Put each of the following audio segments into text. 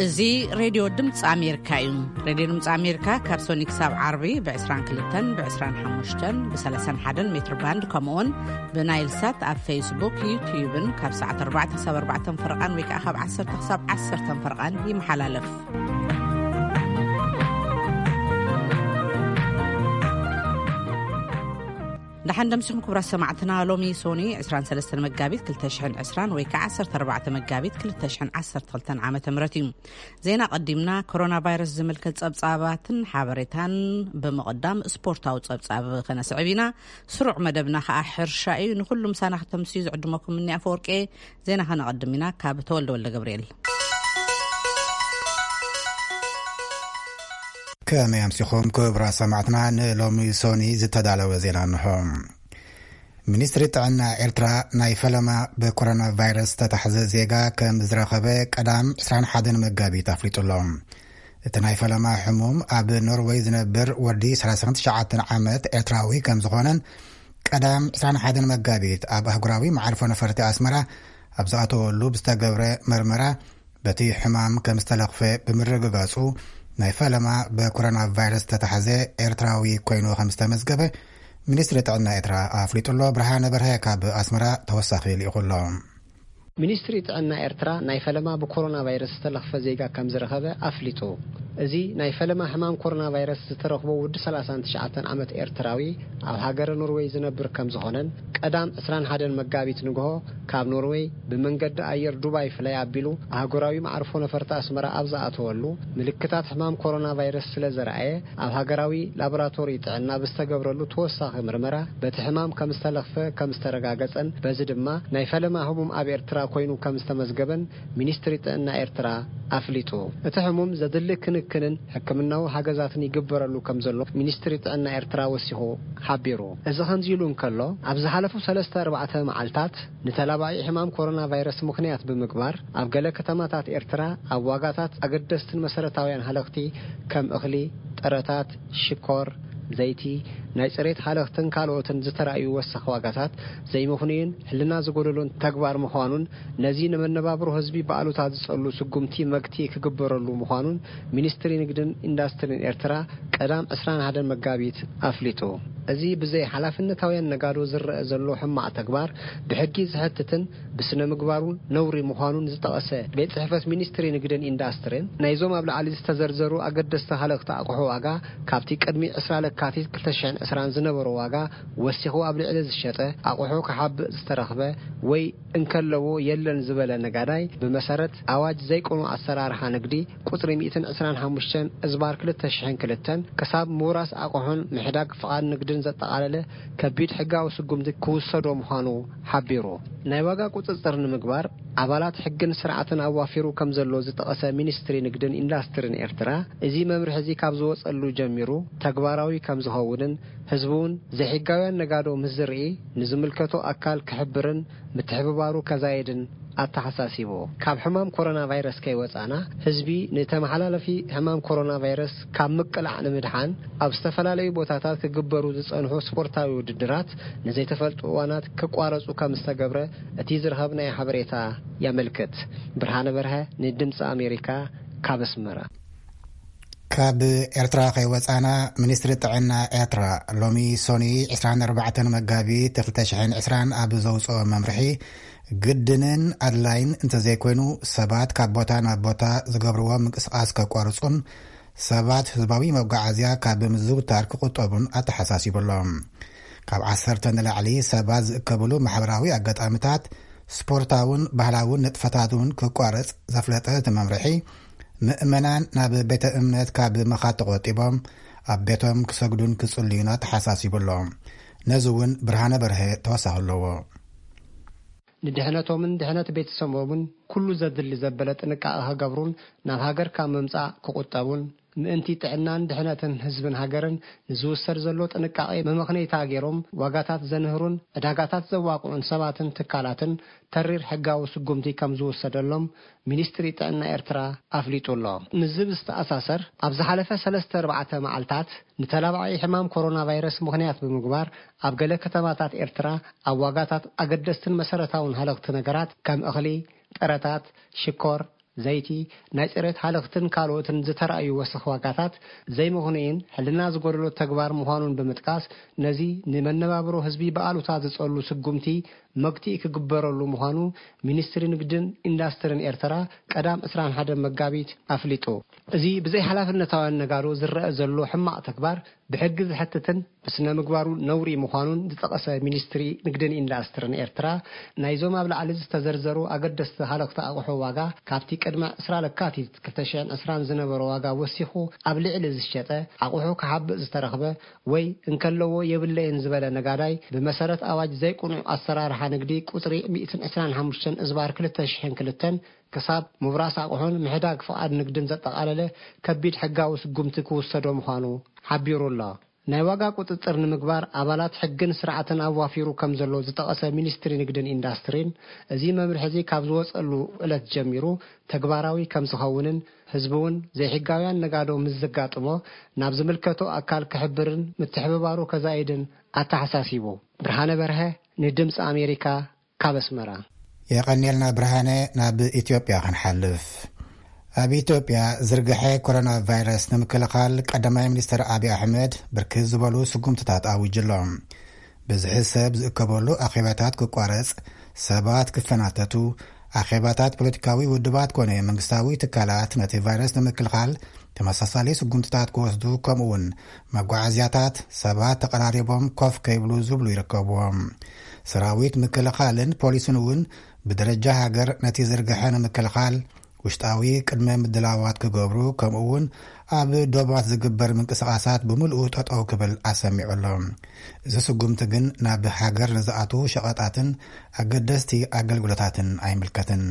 እዚ ሬድዮ ድምፂ ኣሜሪካ እዩ። ሬድዮ ድምፂ ኣሜሪካ ካብ ሶኒ ክሳብ ዓርቢ ብ22፣ ብ25፣ ብ31 ሜትር ባንድ፣ ከምኡውን ብናይል ሳት ኣብ ፌስቡክ፣ ዩትዩብን ካብ ሰዓት ኣርባዕተ ክሳብ ኣርባዕተ ፈረቓን ወይ ከዓ ካብ ዓሰርተ ክሳብ ዓሰርተ ፈረቓን ይመሓላለፍ። ደሓን ደምሲኹም ክቡራት ሰማዕትና። ሎሚ ሶኒ ዕስራን ሰለስተን መጋቢት ክልተ ሽሕን ዕስራን ወይ ከዓ ዓሰርተ ኣርባዕተ መጋቢት ክልተ ሽሕን ዓሰርተ ክልተን ዓመተ ምህረት እዩ። ዜና ቀዲምና። ኮሮና ቫይረስ ዝምልከት ጸብጻባትን ሓበሬታን ብምቕዳም ስፖርታዊ ጸብጻብ ከነስዕብ ኢና። ስሩዕ መደብና ከዓ ሕርሻ እዩ። ንኹሉ ምሳና ክተምስዩ ዝዕድመኩም እኒ ኣፈወርቄ። ዜና ከነቐድም ኢና ካብ ተወልደ ወልደ ገብርኤል። ከመይ ኣምሲኹም ክቡራት ሰማዕትና? ንሎሚ ሶኒ ዝተዳለወ ዜና እንሆ። ሚኒስትሪ ጥዕና ኤርትራ ናይ ፈለማ ብኮሮና ቫይረስ ዝተታሕዘ ዜጋ ከም ዝረኸበ ቀዳም ዕስራን ሓደን መጋቢት ኣፍሊጡ ኣሎ። እቲ ናይ ፈለማ ሕሙም ኣብ ኖርወይ ዝነብር ወዲ ሰላሳን ትሽዓተን ዓመት ኤርትራዊ ከም ዝኾነን ቀዳም ዕስራን ሓደን መጋቢት ኣብ ኣህጉራዊ መዓርፎ ነፈርቲ ኣስመራ ኣብ ዝኣተወሉ ብዝተገብረ መርመራ በቲ ሕማም ከም ዝተለኽፈ ብምርግጋጹ ናይ ፈለማ ብኮሮና ቫይረስ ዝተታሕዘ ኤርትራዊ ኮይኑ ከም ዝተመዝገበ ሚኒስትሪ ጥዕና ኤርትራ ኣፍሊጡ ኣሎ። ብርሃነ በርሀ ካብ ኣስመራ ተወሳኺ ልኢኹ ኣሎ። ሚኒስትሪ ጥዕና ኤርትራ ናይ ፈለማ ብኮሮና ቫይረስ ዝተለኽፈ ዜጋ ከም ዝረኸበ ኣፍሊጡ። እዚ ናይ ፈለማ ሕማም ኮሮና ቫይረስ ዝተረኽቦ ወዲ ሰላሳን ትሽዓተን ዓመት ኤርትራዊ ኣብ ሃገረ ኖርወይ ዝነብር ከም ዝኾነን ቀዳም ዕስራን ሓደን መጋቢት ንግሆ ካብ ኖርወይ ብመንገዲ ኣየር ዱባይ ፍላይ ኣቢሉ ኣህጉራዊ መዓርፎ ነፈርቲ ኣስመራ ኣብ ዝኣተወሉ ምልክታት ሕማም ኮሮና ቫይረስ ስለ ዘርኣየ ኣብ ሃገራዊ ላቦራቶሪ ጥዕና ብዝተገብረሉ ተወሳኺ ምርመራ በቲ ሕማም ከም ዝተለኽፈ ከም ዝተረጋገጸን በዚ ድማ ናይ ፈለማ ህሙም ኣብ ኤርትራ ኮይኑ ከም ዝተመዝገበን ሚኒስትሪ ጥዕና ኤርትራ ኣፍሊጡ። እቲ ሕሙም ዘድሊ ክንክንን ሕክምናዊ ሓገዛትን ይግበረሉ ከም ዘሎ ሚኒስትሪ ጥዕና ኤርትራ ወሲኹ ሓቢሩ። እዚ ከምዚ ኢሉ እንከሎ፣ ኣብ ዝሓለፉ ሰለስተ ኣርባዕተ መዓልታት ንተላባዒ ሕማም ኮሮና ቫይረስ ምኽንያት ብምግባር ኣብ ገለ ከተማታት ኤርትራ ኣብ ዋጋታት ኣገደስትን መሰረታውያን ሃለኽቲ ከም እኽሊ፣ ጥረታት፣ ሽኮር፣ ዘይቲ፣ ናይ ጽሬት ሃለኽትን ካልኦትን ዝተራእዩ ወሰኽ ዋጋታት ዘይምኽኑይን ሕልና ዝጎደሎን ተግባር ምዃኑን ነዚ ንመነባብሮ ህዝቢ ብኣሉታ ዝጸሉ ስጉምቲ መግትኢ ክግበረሉ ምዃኑን ሚኒስትሪ ንግድን ኢንዳስትሪን ኤርትራ ቀዳም ዕስራን ሓደን መጋቢት ኣፍሊጡ። እዚ ብዘይ ሓላፍነታውያን ነጋዶ ዝረአ ዘሎ ሕማቕ ተግባር ብሕጊ ዝሕትትን ብስነ ምግባሩ ነውሪ ምዃኑን ዝጠቐሰ ቤት ጽሕፈት ሚኒስትሪ ንግድን ኢንዳስትሪን ናይዞም ኣብ ላዕሊ ዝተዘርዘሩ ኣገደስቲ ሃለኽቲ ኣቑሑ ዋጋ ካብቲ ቅድሚ ዕስራ ለካቲት ክልተ ሽሕን ዕስራን ዝነበሮ ዋጋ ወሲኹ ኣብ ልዕሊ ዝሸጠ ኣቑሑ ክሓብእ ዝተረኽበ ወይ እንከለዎ የለን ዝበለ ነጋዳይ ብመሰረት ኣዋጅ ዘይቅኑዕ ኣሰራርሓ ንግዲ ቁጽሪ ሚእትን ዕስራን ሓሙሽተን እዝባር ክልተ ሽሕን ክልተን ክሳብ ምውራስ ኣቑሑን ምሕዳግ ፍቓድ ንግድን ዘጠቓለለ ከቢድ ሕጋዊ ስጉምቲ ክውሰዶ ምዃኑ ሓቢሩ። ናይ ዋጋ ቁጽጽር ንምግባር ኣባላት ሕግን ስርዓትን ኣዋፊሩ ከም ዘሎ ዝጠቐሰ ሚኒስትሪ ንግድን ኢንዳስትሪን ኤርትራ፣ እዚ መምርሒ እዚ ካብ ዝወጸሉ ጀሚሩ ተግባራዊ ከም ዝኸውንን ህዝቢ እውን ዘይሕጋውያን ነጋዶ ምስ ዝርኢ ንዝምልከቶ ኣካል ክሕብርን ምትሕብባሩ ከዛየድን ኣተሓሳሲቡ። ካብ ሕማም ኮሮና ቫይረስ ከይወጻና ህዝቢ ንተመሓላለፊ ሕማም ኮሮና ቫይረስ ካብ ምቅላዕ ንምድሓን ኣብ ዝተፈላለዩ ቦታታት ክግበሩ ዝጸንሑ ስፖርታዊ ውድድራት ንዘይተፈልጡ እዋናት ክቋረጹ ከም ዝተገብረ እቲ ዝረኸብናዮ ሓበሬታ የመልክት። ብርሃነ በርሀ ንድምፂ ኣሜሪካ ካብ ኣስመራ። ካብ ኤርትራ ከይወጻና፣ ሚኒስትሪ ጥዕና ኤርትራ ሎሚ ሶኒ ዕስራን ኣርባዕተን መጋቢት ክልተ ሽሕን ዕስራን ኣብ ዘውጽኦ መምርሒ፣ ግድንን ኣድላይን እንተዘይኮይኑ ሰባት ካብ ቦታ ናብ ቦታ ዝገብርዎ ምንቅስቓስ ከቋርጹን ሰባት ህዝባዊ መጓዓዝያ ካብ ምዝውታር ክቑጠቡን ኣተሓሳሲቡ ኣሎ። ካብ ዓሰርተ ንላዕሊ ሰባት ዝእከብሉ ማሕበራዊ ኣጋጣሚታት፣ ስፖርታውን ባህላውን ንጥፈታት እውን ክቋረጽ ዘፍለጠ እቲ መምርሒ፣ ምእመናን ናብ ቤተ እምነት ካብ ምኻድ ተቖጢቦም ኣብ ቤቶም ክሰግዱን ክጽልዩን ኣተሓሳሲቡ ኣሎ። ነዚ እውን ብርሃነ በርሀ ተወሳኺ ኣለዎ። ንድሕነቶምን ድሕነት ቤተሰቦምን ኩሉ ዘድሊ ዘበለ ጥንቃቐ ክገብሩን ናብ ሃገር ካብ ምምጻእ ክቑጠቡን ምእንቲ ጥዕናን ድሕነትን ህዝብን ሃገርን ንዝውሰድ ዘሎ ጥንቃቐ መመኽነይታ ገይሮም ዋጋታት ዘንህሩን ዕዳጋታት ዘዋቕዑን ሰባትን ትካላትን ተሪር ሕጋዊ ስጉምቲ ከም ዝውሰደሎም ሚኒስትሪ ጥዕና ኤርትራ ኣፍሊጡ ኣሎ። ምስዚ ብዝተኣሳሰር፣ ኣብ ዝሓለፈ ሰለስተ ኣርባዕተ መዓልታት ንተላባዒ ሕማም ኮሮና ቫይረስ ምኽንያት ብምግባር፣ ኣብ ገለ ከተማታት ኤርትራ ኣብ ዋጋታት ኣገደስትን መሰረታውን ሃለኽቲ ነገራት ከም እኽሊ፣ ጥረታት፣ ሽኮር፣ ዘይቲ፣ ናይ ጽሬት ሃለኽትን ካልኦትን ዝተራእዩ ወሰኽ ዋጋታት ዘይምኽኑይን ሕልና ዝጎደሎ ተግባር ምዃኑን ብምጥቃስ፣ ነዚ ንመነባብሮ ህዝቢ ብኣሉታ ዝጸሉ ስጉምቲ መግትኢ ክግበረሉ ምዃኑ ሚኒስትሪ ንግድን ኢንዳስትርን ኤርትራ ቀዳም ዕስራን ሓደን መጋቢት ኣፍሊጡ። እዚ ብዘይ ሓላፍነታውያን ነጋዶ ዝረአ ዘሎ ሕማቕ ተግባር ብሕጊ ዘሕትትን ብስነ ምግባሩ ነውሪ ምዃኑን ዝጠቐሰ ሚኒስትሪ ንግድን ኢንዳስትርን ኤርትራ፣ ናይዞም ኣብ ላዕሊ ዝተዘርዘሩ ኣገደስቲ ሃለኽቲ ኣቑሑ ዋጋ ካብቲ ቅድሚ ዕስራ ለካቲት ክልተ ሽሕን ዕስራን ዝነበሮ ዋጋ ወሲኹ ኣብ ልዕሊ ዝሸጠ ኣቑሑ ክሓብእ ዝተረኽበ ወይ እንከለዎ የብለይን ዝበለ ነጋዳይ ብመሰረት ኣዋጅ ዘይቅኑዕ ኣሰራርሓ ንግዲ ቁጽሪ ሚእትን ዕስራን ሓሙሽተን እዝባር ክልተ ሽሕን ክልተን ክሳብ ምብራስ ኣቑሑን ምሕዳግ ፍቓድ ንግድን ዘጠቓለለ ከቢድ ሕጋዊ ስጉምቲ ክውሰዶ ምዃኑ ሓቢሩ ኣሎ። ናይ ዋጋ ቁጽጽር ንምግባር ኣባላት ሕግን ስርዓትን ኣዋፊሩ ከም ዘሎ ዝጠቐሰ ሚኒስትሪ ንግድን ኢንዳስትሪን፣ እዚ መምርሒ እዚ ካብ ዝወጸሉ ዕለት ጀሚሩ ተግባራዊ ከም ዝኸውንን ህዝቢ እውን ዘይሕጋውያን ነጋዶ ምስ ዘጋጥሞ ናብ ዝምልከቶ ኣካል ክሕብርን ምትሕብባሩ ከዛይድን ኣተሓሳሲቡ። ብርሃነ በርሀ ንድምፂ ኣሜሪካ ካብ ኣስመራ። የቐንየልና ብርሃነ። ናብ ኢትዮጵያ ክንሓልፍ። ኣብ ኢትዮጵያ ዝርግሐ ኮሮና ቫይረስ ንምክልኻል ቀዳማይ ሚኒስትር ኣብይ ኣሕመድ ብርክት ዝበሉ ስጉምትታት ኣዊጁ ኣሎ። ብዝሒ ሰብ ዝእከበሉ ኣኼባታት ክቋረጽ፣ ሰባት ክፈናተቱ፣ ኣኼባታት ፖለቲካዊ ውድባት ኮነ መንግስታዊ ትካላት ነቲ ቫይረስ ንምክልኻል ተመሳሳሊ ስጉምትታት ክወስዱ፣ ከምኡ እውን መጓዓዝያታት ሰባት ተቐራሪቦም ኮፍ ከይብሉ ዝብሉ ይርከብዎም። ሰራዊት ምክልኻልን ፖሊስን እውን ብደረጃ ሃገር ነቲ ዝርግሐ ንምክልኻል ውሽጣዊ ቅድመ ምድላዋት ክገብሩ፣ ከምኡ እውን ኣብ ዶባት ዝግበር ምንቅስቓሳት ብምልኡ ጠጠው ክብል ኣሰሚዑ ኣሎ። እዚ ስጉምቲ ግን ናብ ሃገር ንዝኣትዉ ሸቐጣትን ኣገደስቲ ኣገልግሎታትን ኣይምልከትን።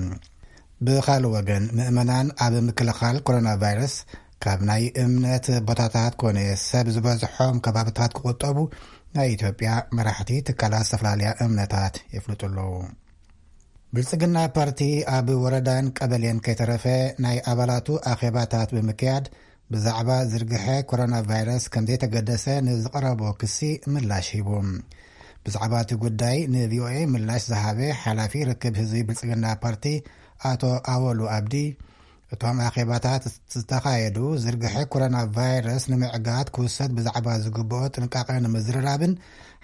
ብኻልእ ወገን፣ ምእመናን ኣብ ምክልኻል ኮሮና ቫይረስ ካብ ናይ እምነት ቦታታት ኮነ ሰብ ዝበዝሖም ከባብታት ክቑጠቡ ናይ ኢትዮጵያ መራሕቲ ትካላት ዝተፈላለያ እምነታት የፍልጡ ኣለዉ። ብልጽግና ፓርቲ ኣብ ወረዳን ቀበሌን ከይተረፈ ናይ ኣባላቱ ኣኼባታት ብምክያድ ብዛዕባ ዝርግሐ ኮሮና ቫይረስ ከም ዘይተገደሰ ንዝቐረቦ ክሲ ምላሽ ሂቡ። ብዛዕባ እቲ ጉዳይ ንቪኦኤ ምላሽ ዝሃበ ሓላፊ ርክብ ህዝቢ ብልጽግና ፓርቲ ኣቶ ኣወሉ ኣብዲ፣ እቶም ኣኼባታት ዝተኻየዱ ዝርግሐ ኮሮና ቫይረስ ንምዕጋት ክውሰድ ብዛዕባ ዝግብኦ ጥንቃቐ ንምዝርራብን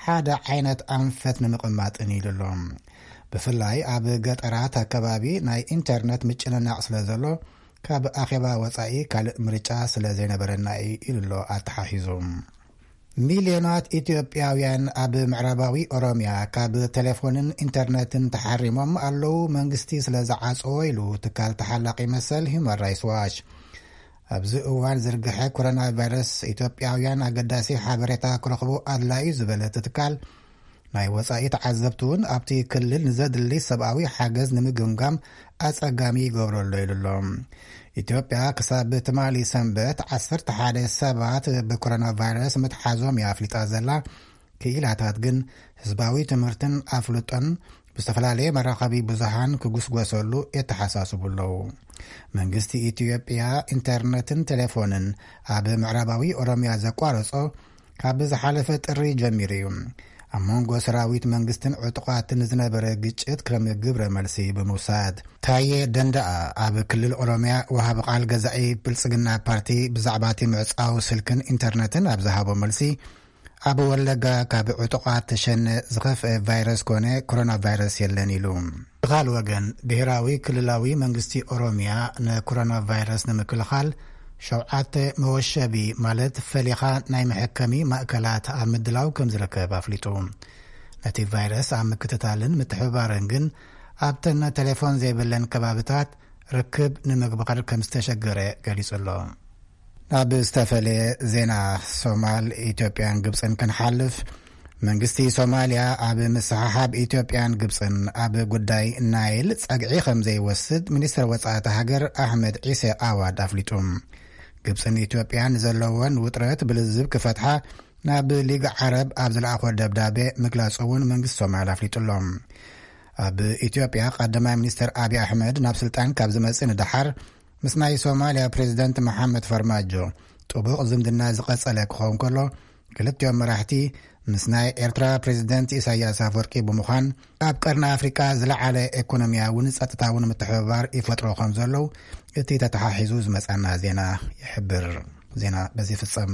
ሓደ ዓይነት ኣንፈት ንምቕማጥን ኢሉ ኣሎ። ብፍላይ ኣብ ገጠራት ኣከባቢ ናይ ኢንተርነት ምጭንናቕ ስለ ዘሎ፣ ካብ ኣኼባ ወጻኢ ካልእ ምርጫ ስለ ዘይነበረና እዩ ኢሉ ኣሎ ኣተሓሒዙ። ሚልዮናት ኢትዮጵያውያን ኣብ ምዕራባዊ ኦሮሚያ ካብ ቴሌፎንን ኢንተርነትን ተሓሪሞም ኣለዉ፣ መንግስቲ ስለ ዝዓጸዎ ኢሉ ትካል ተሓላቒ መሰል ሂውማን ራይትስ ዋች። ኣብዚ እዋን ዝርግሐ ኮሮና ቫይረስ ኢትዮጵያውያን ኣገዳሲ ሓበሬታ ክረኽቡ ኣድላዩ ዝበለ እቲ ትካል፣ ናይ ወጻኢ ተዓዘብቲ እውን ኣብቲ ክልል ንዘድሊ ሰብኣዊ ሓገዝ ንምግምጋም ኣጸጋሚ ይገብሮ ኣሎ ኢሉ ኣሎ። ኢትዮጵያ ክሳብ ትማሊ ሰንበት ዓሰርተ ሓደ ሰባት ብኮሮና ቫይረስ ምትሓዞም እያ ኣፍሊጣ ዘላ። ክኢላታት ግን ህዝባዊ ትምህርትን ኣፍልጦን ብዝተፈላለየ መራኸቢ ብዙሃን ክጉስጎሰሉ የተሓሳስቡ ኣለዉ። መንግስቲ ኢትዮጵያ ኢንተርነትን ቴሌፎንን ኣብ ምዕራባዊ ኦሮሚያ ዘቋረጾ ካብ ዝሓለፈ ጥሪ ጀሚሩ እዩ። ኣብ መንጎ ሰራዊት መንግስትን ዕጡቓትን ዝነበረ ግጭት ከም ግብረ መልሲ ብምውሳድ። ታየ ደንደኣ ኣብ ክልል ኦሮሚያ ወሃቢ ቃል ገዛኢ ብልጽግና ፓርቲ ብዛዕባ እቲ ምዕጻው ስልክን ኢንተርነትን ኣብ ዝሃቦ መልሲ፣ ኣብ ወለጋ ካብ ዕጡቓት ተሸነ ዝኸፍአ ቫይረስ ኮነ ኮሮና ቫይረስ የለን ኢሉ። ብኻልእ ወገን፣ ብሄራዊ ክልላዊ መንግስቲ ኦሮሚያ ንኮሮና ቫይረስ ንምክልኻል ሸውዓተ መወሸቢ ማለት ፈሊኻ ናይ መሐከሚ ማእከላት ኣብ ምድላው ከም ዝርከብ ኣፍሊጡ። ነቲ ቫይረስ ኣብ ምክትታልን ምትሕብባርን ግን ኣብተን ቴሌፎን ዘይብለን ከባብታት ርክብ ንምግባር ከም ዝተሸገረ ገሊጹ ኣሎ። ናብ ዝተፈለየ ዜና፣ ሶማል፣ ኢትዮጵያን ግብጽን ክንሓልፍ። መንግስቲ ሶማልያ ኣብ ምስሕሓብ ኢትዮጵያን ግብጽን ኣብ ጉዳይ ናይል ጸግዒ ከም ዘይወስድ ሚኒስትር ወጻኢ እታ ሃገር ኣሕመድ ዒሴ ኣዋድ ኣፍሊጡ። ግብጽን ኢትዮጵያን ዘለወን ውጥረት ብልዝብ ክፈትሓ ናብ ሊግ ዓረብ ኣብ ዝለኣኾ ደብዳቤ ምግላጹ እውን መንግስቲ ሶማል ኣፍሊጡ ኣሎ። ኣብ ኢትዮጵያ ቀዳማይ ሚኒስትር ኣብይ ኣሕመድ ናብ ስልጣን ካብ ዝመጽእ ንደሓር ምስ ናይ ሶማልያ ፕሬዚደንት መሓመድ ፈርማጆ ጥቡቕ ዝምድና ዝቐጸለ ክኸውን ከሎ፣ ክልቲኦም መራሕቲ ምስ ናይ ኤርትራ ፕሬዚደንት ኢሳያስ ኣፈወርቂ ብምዃን ኣብ ቀርኒ ኣፍሪቃ ዝለዓለ ኢኮኖሚያውን ጸጥታውን ምትሕብባር ይፈጥሮ ከም ዘለዉ እቲ ተተሓሒዙ ዝመጻና ዜና ይሕብር። ዜና በዚ ይፍጸም።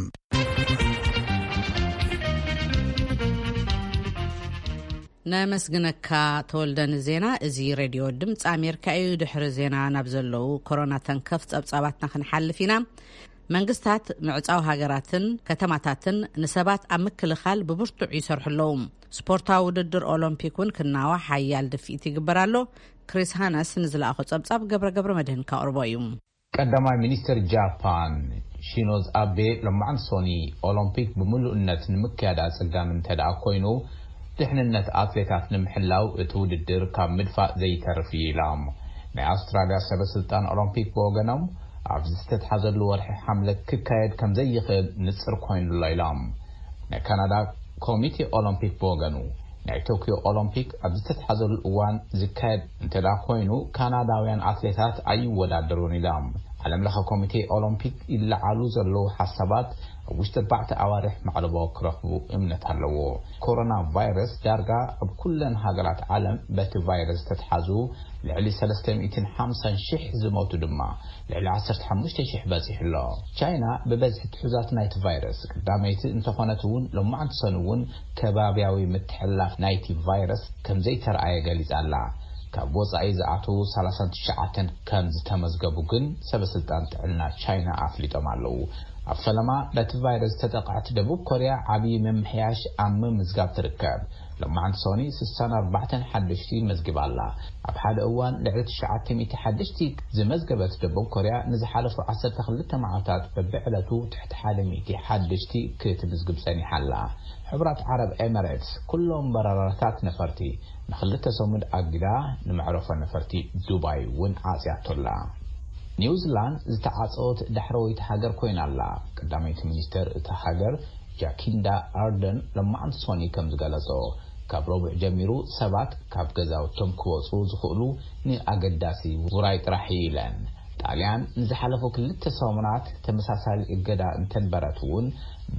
ነመስግነካ ተወልደ ንዜና። እዚ ሬድዮ ድምፂ ኣሜሪካ እዩ። ድሕሪ ዜና ናብ ዘለዉ ኮሮና ተንከፍ ጸብጻባትና ክንሓልፍ ኢና። መንግስታት ምዕጻው ሃገራትን ከተማታትን ንሰባት ኣብ ምክልኻል ብብርቱዕ ይሰርሑ ኣለዉ። ስፖርታዊ ውድድር ኦሎምፒክ እውን ክናዋሕ ሓያል ድፍኢት ይግበር ኣሎ። ክሪስ ሃነስ ንዝለኣኾ ጸብጻብ ገብረ ገብረ መድህን ካቕርቦ እዩ። ቀዳማይ ሚኒስትር ጃፓን ሺኖዝ ኣቤ ሎማዕንቲ ሶኒ ኦሎምፒክ ብምሉእነት ንምክያድ ኣጸጋሚ እንተ ደኣ ኮይኑ፣ ድሕንነት ኣትሌታት ንምሕላው እቲ ውድድር ካብ ምድፋእ ዘይተርፍ እዩ ኢሎም። ናይ ኣውስትራልያ ሰበ ስልጣን ኦሎምፒክ ብወገኖም፣ ኣብዚ ዝተትሓዘሉ ወርሒ ሓምለ ክካየድ ከም ዘይኽእል ንጽር ኮይኑ ኣሎ ኢሎም። ናይ ካናዳ ኮሚቴ ኦሎምፒክ ብወገኑ፣ ናይ ቶክዮ ኦሎምፒክ ኣብ ዝተትሓዘሉ እዋን ዝካየድ እንተ ደኣ ኮይኑ፣ ካናዳውያን ኣትሌታት ኣይወዳደሩን ኢሎም። ዓለም ለኸ ኮሚቴ ኦሎምፒክ ይለዓሉ ዘለዉ ሓሳባት ኣብ ውሽጢ ኣርባዕተ ኣዋርሕ ማዕለቦ ክረኽቡ እምነት ኣለዎ። ኮሮና ቫይረስ ዳርጋ ኣብ ኩለን ሃገራት ዓለም በቲ ቫይረስ ዝተትሓዙ ልዕሊ ሰለስተ ሚእትን ሓምሳን ሽሕ ዝሞቱ ድማ ልዕሊ ዓሰርተ ሓሙሽተ ሽሕ በጺሑ ኣሎ። ቻይና ብበዝሒ ትሑዛት ናይቲ ቫይረስ ቀዳመይቲ እንተኾነት እውን፣ ሎማዕንቲ ሰኑ እውን ከባብያዊ ምትሕልላፍ ናይቲ ቫይረስ ከም ዘይተረኣየ ገሊጻ ኣላ። ካብ ወጻኢ ዝኣትዉ ሰላሳን ትሽዓተን ከም ዝተመዝገቡ ግን ሰበ ስልጣን ጥዕና ቻይና ኣፍሊጦም ኣለዉ። ኣብ ፈለማ በቲ ቫይረስ ዝተጠቕዐት ደቡብ ኮርያ ዓብዪ ምምሕያሽ ኣብ ምምዝጋብ ትርከብ። ሎማዕንቲ ሶኒ ስሳን ኣርባዕተን ሓደሽቲ መዝጊባ ኣላ። ኣብ ሓደ እዋን ልዕሊ ትሽዓተ ሚእቲ ሓደሽቲ ዝመዝገበት ደቡብ ኮርያ፣ ንዝሓለፉ ዓሰርተ ክልተ መዓልታት በብዕለቱ ትሕቲ ሓደ ሚእቲ ሓደሽቲ ክትምዝግብ ጸኒሓ ኣላ። ሕቡራት ዓረብ ኤመሬትስ ኩሎም በረራታት ነፈርቲ ንኽልተ ሰሙን ኣጊዳ፣ ንመዕረፎ ነፈርቲ ዱባይ እውን ዓጽያቶ ኣላ። ኒውዚላንድ ዝተዓጸወት ዳሕረወይቲ ሃገር ኮይና ኣላ። ቀዳመይቲ ሚኒስተር እታ ሃገር ጃኪንዳ ኣርደን ሎማዕንቲ ሶኒ ከም ዝገለጾ፣ ካብ ረቡዕ ጀሚሩ ሰባት ካብ ገዛውቶም ክወጹ ዝኽእሉ ንኣገዳሲ ውራይ ጥራሕ እዩ ኢለን። ጣልያን ንዝሓለፉ ክልተ ሰሙናት ተመሳሳሊ እገዳ እንተንበረት እውን፣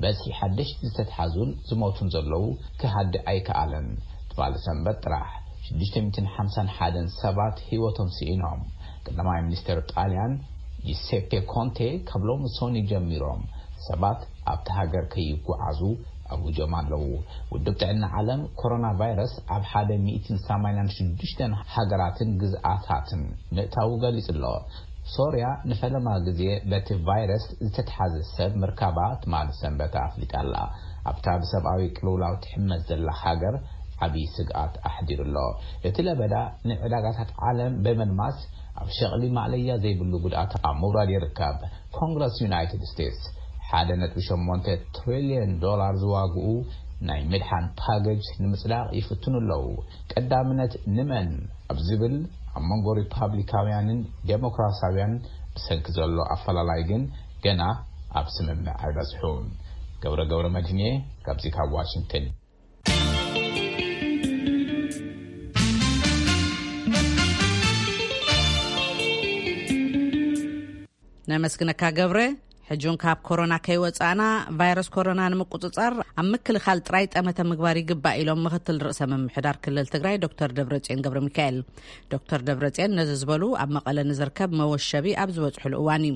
በዝሒ ሓደሽቲ ዝተትሓዙን ዝሞቱን ዘለዉ ክሃድእ ኣይከኣለን። ትማሊ ሰንበት ጥራሕ ሽዱሽተ ሚእትን ሓምሳን ሓደን ሰባት ህይወቶም ስኢኖም። ቀዳማይ ሚኒስተር ጣልያን ጂሴፔ ኮንቴ ካብ ሎሚ ሶኒ ጀሚሮም ሰባት ኣብቲ ሃገር ከይጓዓዙ ኣውጆም ኣለዉ። ውድብ ጥዕና ዓለም፣ ኮሮና ቫይረስ ኣብ ሓደ ሚእትን ሰማንያን ሽዱሽተን ሃገራትን ግዝኣታትን ምእታዉ ገሊጹ ኣሎ። ሶርያ ንፈለማ ግዜ በቲ ቫይረስ ዝተትሓዘ ሰብ ምርካባ ትማሊ ሰንበት ኣፍሊጣ ኣላ። ኣብታ ብሰብኣዊ ቅልውላው ትሕመስ ዘላ ሃገር ዓብዪ ስግኣት ኣሕዲሩ ኣሎ። እቲ ለበዳ ንዕዳጋታት ዓለም ብምልማስ፣ ኣብ ሸቕሊ ማእለያ ዘይብሉ ጉድኣት ኣብ ምውራድ ይርከብ። ኮንግረስ ዩናይትድ ስቴትስ ሓደ ነጥቢ ሸሞንተ ትሪልዮን ዶላር ዝዋግኡ ናይ ምድሓን ፓኬጅ ንምጽዳቕ ይፍትኑ ኣለዉ። ቀዳምነት ንመን ኣብ ዝብል፣ ኣብ መንጎ ሪፓብሊካውያንን ዴሞክራሲያውያን ብሰንኪ ዘሎ ኣፈላላይ ግን ገና ኣብ ስምምዕ ኣይበጽሑን። ገብረ ገብረ መድህንየ ካብዚ ካብ ዋሽንግተን። ነመስግነካ ገብረ። ሕጂ እውን ካብ ኮሮና ከይወጻእና፣ ቫይረስ ኮሮና ንምቁጽጻር ኣብ ምክልኻል ጥራይ ጠመተ ምግባር ይግባእ ኢሎም ምክትል ርእሰ ምምሕዳር ክልል ትግራይ ዶክተር ደብረጽዮን ገብረ ሚካኤል። ዶክተር ደብረጽዮን ነዚ ዝበሉ ኣብ መቐለ ንዝርከብ መወሸቢ ኣብ ዝበጽሕሉ እዋን እዩ።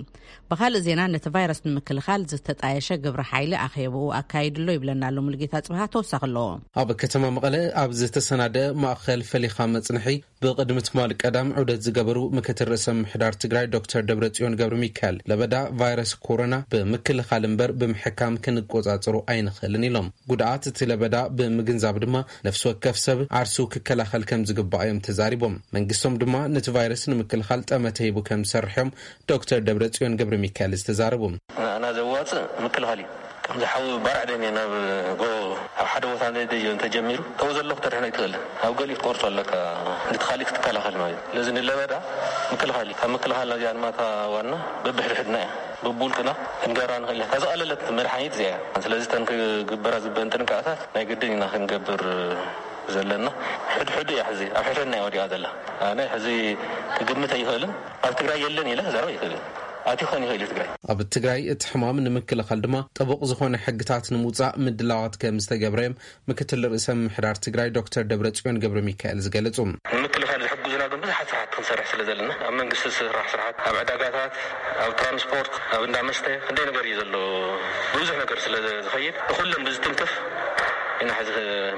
ብኻልእ ዜና፣ ነቲ ቫይረስ ንምክልኻል ዝተጣየሸ ግብረ ሓይሊ ኣኼብኡ ኣካይዱ ኣሎ ይብለና ኣሎ ሙሉጌታ ጽብሃ ተወሳኺ ኣለዎ። ኣብ ከተማ መቐለ ኣብ ዝተሰናደ ማእኸል ፈሊኻ መጽንሒ ብቕድሚ ትማሊ ቀዳም ዑደት ዝገበሩ ምክትል ርእሰ ምምሕዳር ትግራይ ዶክተር ደብረጽዮን ገብረ ሚካኤል፣ ለበዳ ቫይረስ ኮሮና ብምክልኻል እምበር ብምሕካም ክንቆጻጸሮ ኣይንኽእልን ኢሎም። ጉድኣት እቲ ለበዳ ብምግንዛብ ድማ ነፍሲ ወከፍ ሰብ ዓርሱ ክከላኸል ከም ዝግባእ እዮም ተዛሪቦም። መንግስቶም ድማ ነቲ ቫይረስ ንምክልኻል ጠመተ ሂቡ ከም ዝሰርሕ እዮም ዶክተር ደብረጽዮን ገብረ ሚካኤል ዝተዛረቡ። ንኣና ዘዋፅእ ምክልኻል እዩ። ከምዚ ሓዊ ባርዕ ደም እዩ ናብ ጎ ኣብ ሓደ ቦታ ነደዮ እንተጀሚሩ፣ ተው ዘለኹ ተድሕኖ ኣይትኽእልን። ኣብ ገሊኡ ክትቆርጾ ኣለካ፣ ነቲ ካሊእ ክትከላኸል ማለት እዩ። ስለዚ ንለበዳ ምክልኻል እዩ። ካብ ምክልኻል ናዚኣ ድማ እታ ዋና በብሕድሕድና እያ። በብውልቅና ክንገብራ ንኽእል ኢና። እታ ዝቐለለት መድሓኒት እዚኣ እያ። ስለዚ እተን ክግበራ ዝበን ጥንቃቐታት ናይ ግድን ኢና ክንገብር ዘለና። ሕድሕዱ እያ ሕዚ ኣብ ሕድሕድና እያ ወዲቓ ዘላ። ኣነ ሕዚ ክግምት ኣይኽእልን። ኣብ ትግራይ የለን ኢለ ክዛረብ ኣይኽእልን። ኣቲ ኾን ይኽእል እዩ ትግራይ። ኣብ ትግራይ እቲ ሕማም ንምክልኻል ድማ ጥቡቕ ዝኾነ ሕግታት ንምውፃእ ምድላዋት ከም ዝተገብረ እዮም ምክትል ርእሰ ምምሕዳር ትግራይ ዶክተር ደብረጽዮን ገብረ ሚካኤል ዝገለጹ። ንምክልኻል ዝሕግዙና ግን ብዙሓት ስራሕቲ ክንሰርሕ ስለ ዘለና፣ ኣብ መንግስቲ ዝስራሕ ስራሕቲ፣ ኣብ ዕዳጋታት፣ ኣብ ትራንስፖርት፣ ኣብ እንዳ መስተ ክንደይ ነገር እዩ ዘሎ። ብዙሕ ነገር ስለ ዝኸይድ ብኩሎም ብዝትንክፍ ኢና ሕዚ